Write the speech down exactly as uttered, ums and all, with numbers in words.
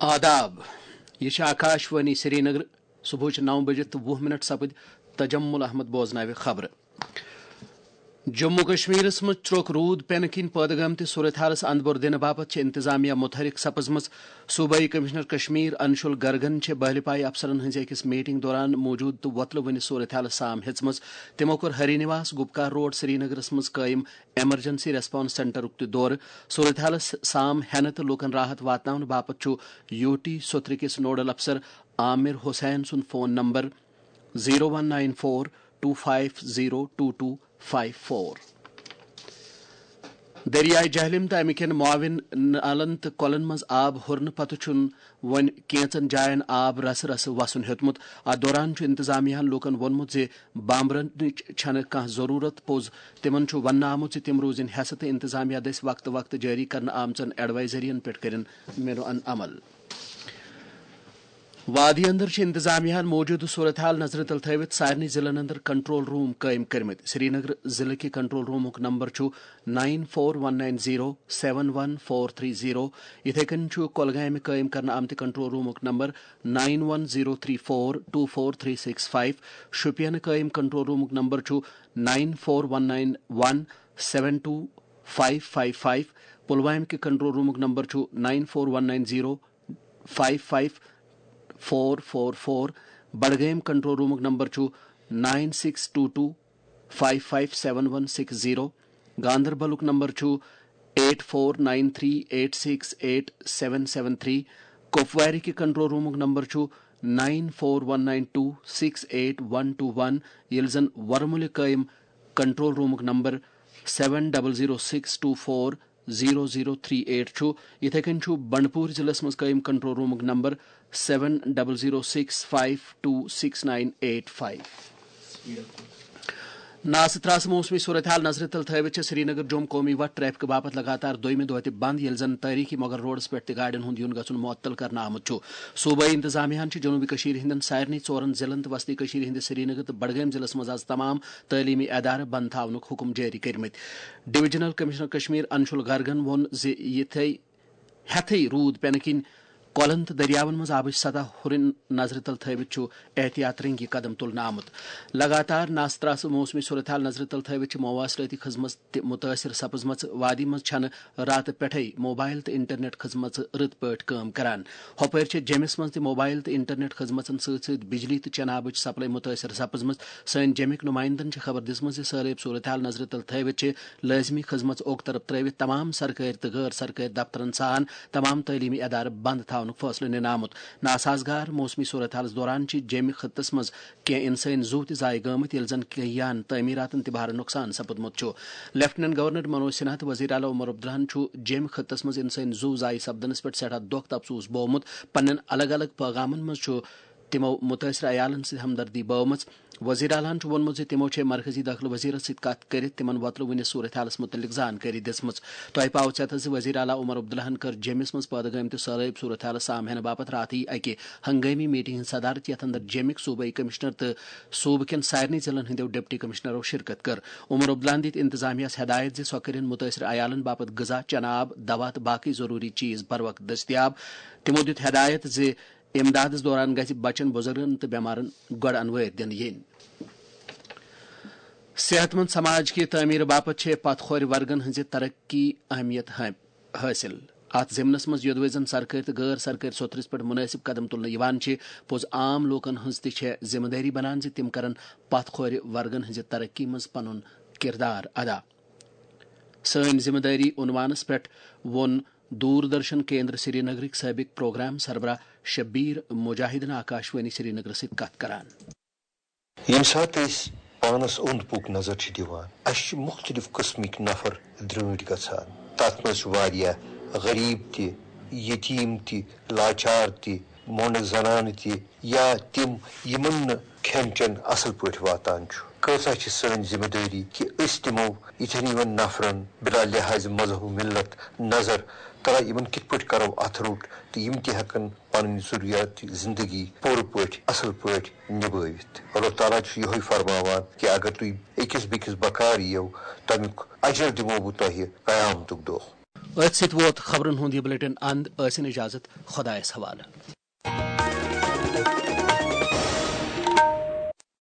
آداب، یہِ چھِ آکاش وانی سرینگر۔ صبحٕچ نو بجے تہٕ وُہ منٹ سپٕدۍ۔ تجمل احمد بوزناوِ خبرٕ۔ جموں کشمیرس منٛز ترٛوک روٗد پینہٕ کِنۍ پٲدٕ گٲمتِس صورتحالس اندبور دِنہٕ باپتھ چھِ انتظامیہ متحرک سپٕزمٕژ۔ صوبٲئی کمشنر کشمیر انشول گرگن چھِ بہلہِ پایہِ افسرن ہٕنٛزِ أکِس میٹنگ دوران موٗجوٗد تہٕ وۄتلہٕ وٕنہِ صورتحالس سام ہیژمٕژ۔ تِمو کوٚر ہری نواس گپکار روڈ سرینگرس منٛز قٲیِم ایمرجنسی ریسپانس سینٹرُک تہِ دورٕ۔ صورتحالس سام ہینہٕ تہٕ لوٗکن راحت واتناونہٕ باپتھ چھُ یو ٹی سوترٕ کِس نوڈل افسر عامر حسین سُنٛد phone number zero one nine four two five zero two two five four. دریائے جہلم تہٕ امہِ کٮ۪ن معاون نالن تہٕ کۄلن منٛز آب ہُرنہٕ پتہٕ چھُنہٕ وۄنۍ کینٛژن جاین آب رسہٕ رسہٕ وسُن ہیوٚتمُت۔ اتھ دوران چھُ انتظامیہ ہن لوٗکن ووٚنمُت زِ بامبرنٕچ چھنہٕ کانٛہہ ضروٗرت۔ پوٚز، تِمن چھُ وننہٕ آمُت زِ تِم روٗزِن ہٮ۪سہٕ تہٕ انتظامیہ دٔسۍ وقتہٕ وقتہٕ جٲری کرنہٕ آمژن ایڈوائزرین پٮ۪ٹھ کٔرِن مینوان عمل۔ وادی اندر چھِ انتظامیہ ہن موٗجوٗدٕ صورتحال نظرِ تل تھٲوِتھ سارنٕے ضلعن اندر کنٹرول روم قٲیِم کٔرمٕتۍ۔ سرینگر ضلعہٕ کہِ کنٹرول رومُک نمبر چھُ nine four one nine zero seven one four three zero. یِتھے کٔنۍ چھُ کۄلگامہِ قٲیِم کرنہٕ آمتہِ کنٹرول رومُک number nine one zero three four two four three six five. شوپینہٕ قٲیِم کنٹرول رومُک نمبر چھُ nine four one nine one seven two five five five. پلوامہِ کہِ کنٹرول رومُک نمبر چھُ nine four one nine zero five five four four four. بڈگٲمۍ control رومُک نمبر چھُ nine six two two five five seven one six zero. گاندربلُک number چھُ eight four nine three eight six eight seven seven three. کپوارِ کہِ control رومُک number چھُ nine four one nine two six eight one two one, ییٚلہِ زن ورمُلہِ قٲیِم کنٹرول رومُک number seven double zero six two four zero zero three eight چھُ۔ یِتھے کٔنۍ چھُ بنڈپور ضلعس منٛز قٲیِم کنٹرول رومُک number seven double zero six five two six nine eight five. ناسہٕ ترٛاسہٕ موسمی صورتحال نظرِ تل تھٲوِتھ چھِ سرینگر جوم قومی وتھ ٹریفک باپتھ لگاتار دوٚیمہِ دۄہ تہِ بند، ییٚلہِ زن تٲریخی مغل روڈس پٮ۪ٹھ تہِ گاڑٮ۪ن ہُنٛد یُن گژھُن معطل کرنہٕ آمُت چھُ۔ صوبٲئی انتظامیہ ہن چھِ جنوبی کشیٖر ہٕنٛدٮ۪ن سارنٕے ژورن ضلعن تہٕ وسطی کشیٖر ہٕنٛدِس سرینگر تہٕ بڈگٲمۍ ضلعس منٛز از تمام تعلیمی ادارٕ بند تھاونُک حکم جٲری کٔرمٕتۍ۔ ڈویژنل کمشنر کشمیر انشول گرگن ووٚن زِ یِتھے ہٮ۪تھٕے روٗد پٮ۪نہٕ کِنۍ کۄلن تہٕ دٔریاون منٛز آبٕچ سطح ہُرٕنۍ نظرِ تل تھٲوِتھ چھُ احتیاط رنگی قدم تُلنہٕ آمُت۔ لگاتار ناسہٕ ترٛاسہٕ موسمی صورتحال نظرِ تل تھٲوِتھ چھِ مواصلٲتی خدمت تہِ مُتٲثر سپٕزمٕژ۔ وادی منٛز چھنہٕ راتہٕ پٮ۪ٹھے موبایل تہٕ انٹرنیٹ خدمژٕ رٕتۍ پٲٹھۍ کٲم کران۔ ہۄپٲرۍ چھےٚ جیٚمِس منٛز تہِ موبایل تہٕ انٹرنیٹ خدمژن سۭتۍ سۭتۍ بجلی تہٕ چنابٕچ سپلاے مُتٲثر سپٕزمٕژ۔ سٲنۍ جیٚمِکۍ نُمایندن چھِ خبر دِژمٕژ زِ سہلٲبۍ صورتحال نظرِ تل تھٲوِتھ چھِ لٲزمی خدمژ اوٚک طرف ترٲوِتھ تمام سرکٲرۍ تہٕ غٲر سرکٲرۍ دفترن سان تمام تعلیمی ادارٕ بند تھاونُک فٲصلہٕ نِنہٕ آمُت۔ ناسازگار موسمی صورتحالس دوران چھِ جیٚمہِ خطس منٛز کینٛہہ انسٲنۍ زُو تہِ ضایع گٲمٕتۍ، ییٚلہِ زن کینٛہہ یان تعمیراتن تہِ بھارٕ نۄقصان سپُدمُت چھُ۔ لیفٹیننٹ گورنر منوج سنہا تہٕ وزیر اعلیٰ عمر عبداللہن چھُ جیٚمہِ خطس منٛز انسٲنۍ زُو ضایع سپدنس پٮ۪ٹھ سٮ۪ٹھاہ دۄکھ تہٕ افسوس بوومُت۔ پننٮ۪ن الگ الگ پٲغامن منٛز چھُ تِمو مُتٲثرٕ عیالن سۭتۍ ہمدردی بٲومٕژ۔ وزیر اعلیٰ ہن چھُ ووٚنمُت زِ تِمو چھےٚ مرکزی دٲخلہٕ وزیرس سۭتۍ کتھ کٔرِتھ تِمن وۄتلہٕ وٕنہِ صورتحالس مُتعلق زانکٲری دِژمٕژ۔ تۄہہِ پاوٕ ژٮ۪تس زِ وزیر اعلیٰ عمر عبداللہن کٔر جیٚمِس منٛز پٲدٕ گٲمتِس سہلٲبۍ صورتحالس سام ہینہٕ باپتھ راتھٕے اکہِ ہنگٲمی میٹنگ ہٕنٛز صدارت، یتھ اندر جیٚمِکۍ صوبٲئی کمشنر تہٕ صوبہٕ کٮ۪ن سارنٕے ضلعن ہٕنٛدیو ڈپٹی کمشنرو شرکت کٔر۔ عمر عبداللہن دِتۍ انتظامیہ ہس ہدایت زِ سۄ کٔرِن مُتٲثرٕ عیالن باپتھ غذا، چنہٕ آب، دوا تہٕ باقٕے ضروٗری چیز بروقت دٔستیاب۔ تِمو دیُت ہدایت زِ امدادس دوران گژھِ بچن، بُزرگن تہٕ بٮ۪مارن گۄڈٕ انوٲرۍ دِنہٕ یِنۍ۔ صحت مند سماج کہِ تعمیٖر باپتھ چھےٚ پتھ کھورِ ورگن ہٕنٛزِ ترقی اہمیت ہٲ-، حٲصِل۔ اتھ ضمنس منٛز یوٚدوے زن سرکٲرۍ تہٕ غٲر سرکٲرۍ سوٚتھرِس پٮ۪ٹھ مُنٲسِب قدم تُلنہٕ یِوان چھِ، پوٚز عام لوٗکن ہٕنٛز تہِ چھےٚ ذمہٕ دٲری بنان زِ تِم کرن پتھ کھورِ ورگن ہٕنٛزِ ترقی منٛز پنُن کردار ادا۔ سٲنۍ ذمہٕ دٲری عنوانس پٮ۪ٹھ ووٚن دوٗر درشن کیندر سرینگرٕکۍ سٲبق پروگرام سربراہ شبیر مجاہدن آکاش وانی سرینگرس سۭتۍ کتھ کران۔ ییٚمہِ ساتہٕ أسۍ پانَس اوٚنٛد پوٚک نظر چھِ دِوان، اَسہِ چھِ مُختٔلِف قٕسمٕکۍ نفر درٛٲنٛٹھۍ گژھان۔ تَتھ منٛز چھِ واریاہ غریٖب تہِ، یتیٖم تہِ، لاچار تہِ، مۄنٛڈٕ زنانہٕ تہِ، یا تِم، یِمَن نہٕ کھٮ۪ن چٮ۪ن اَصٕل پٲٹھۍ واتان چھُ۔ کۭژاہ چھِ سٲنۍ ذِمہٕ دٲری کہِ أسۍ دِمو یِتھٮ۪ن یِمَن نفرَن بِلا لحاظِ مذہب و مِلَت نظر، تَلہ یِمَن کِتھ پٲٹھۍ کَرو اَتھٕ روٚٹ تہٕ یِم تہِ ہٮ۪کَن پنٕنۍ ضروٗریات زندگی پوٗرٕ پٲٹھۍ، اصل پٲٹھۍ نبٲوِتھ۔ اللہ تعالیٰ چھُ یِہوٚے فرماوان کہِ اگر تُہۍ أکِس بیٚکِس بکار یِیو، تَمیُک اجر دِمو بہٕ تۄہہِ قیامتُک دۄہ۔ أتھۍ سۭتۍ ووت خبرن ہُنٛد یہِ بلیٹن اند۔ ٲسِن اجازت، خۄدایس حوالہٕ۔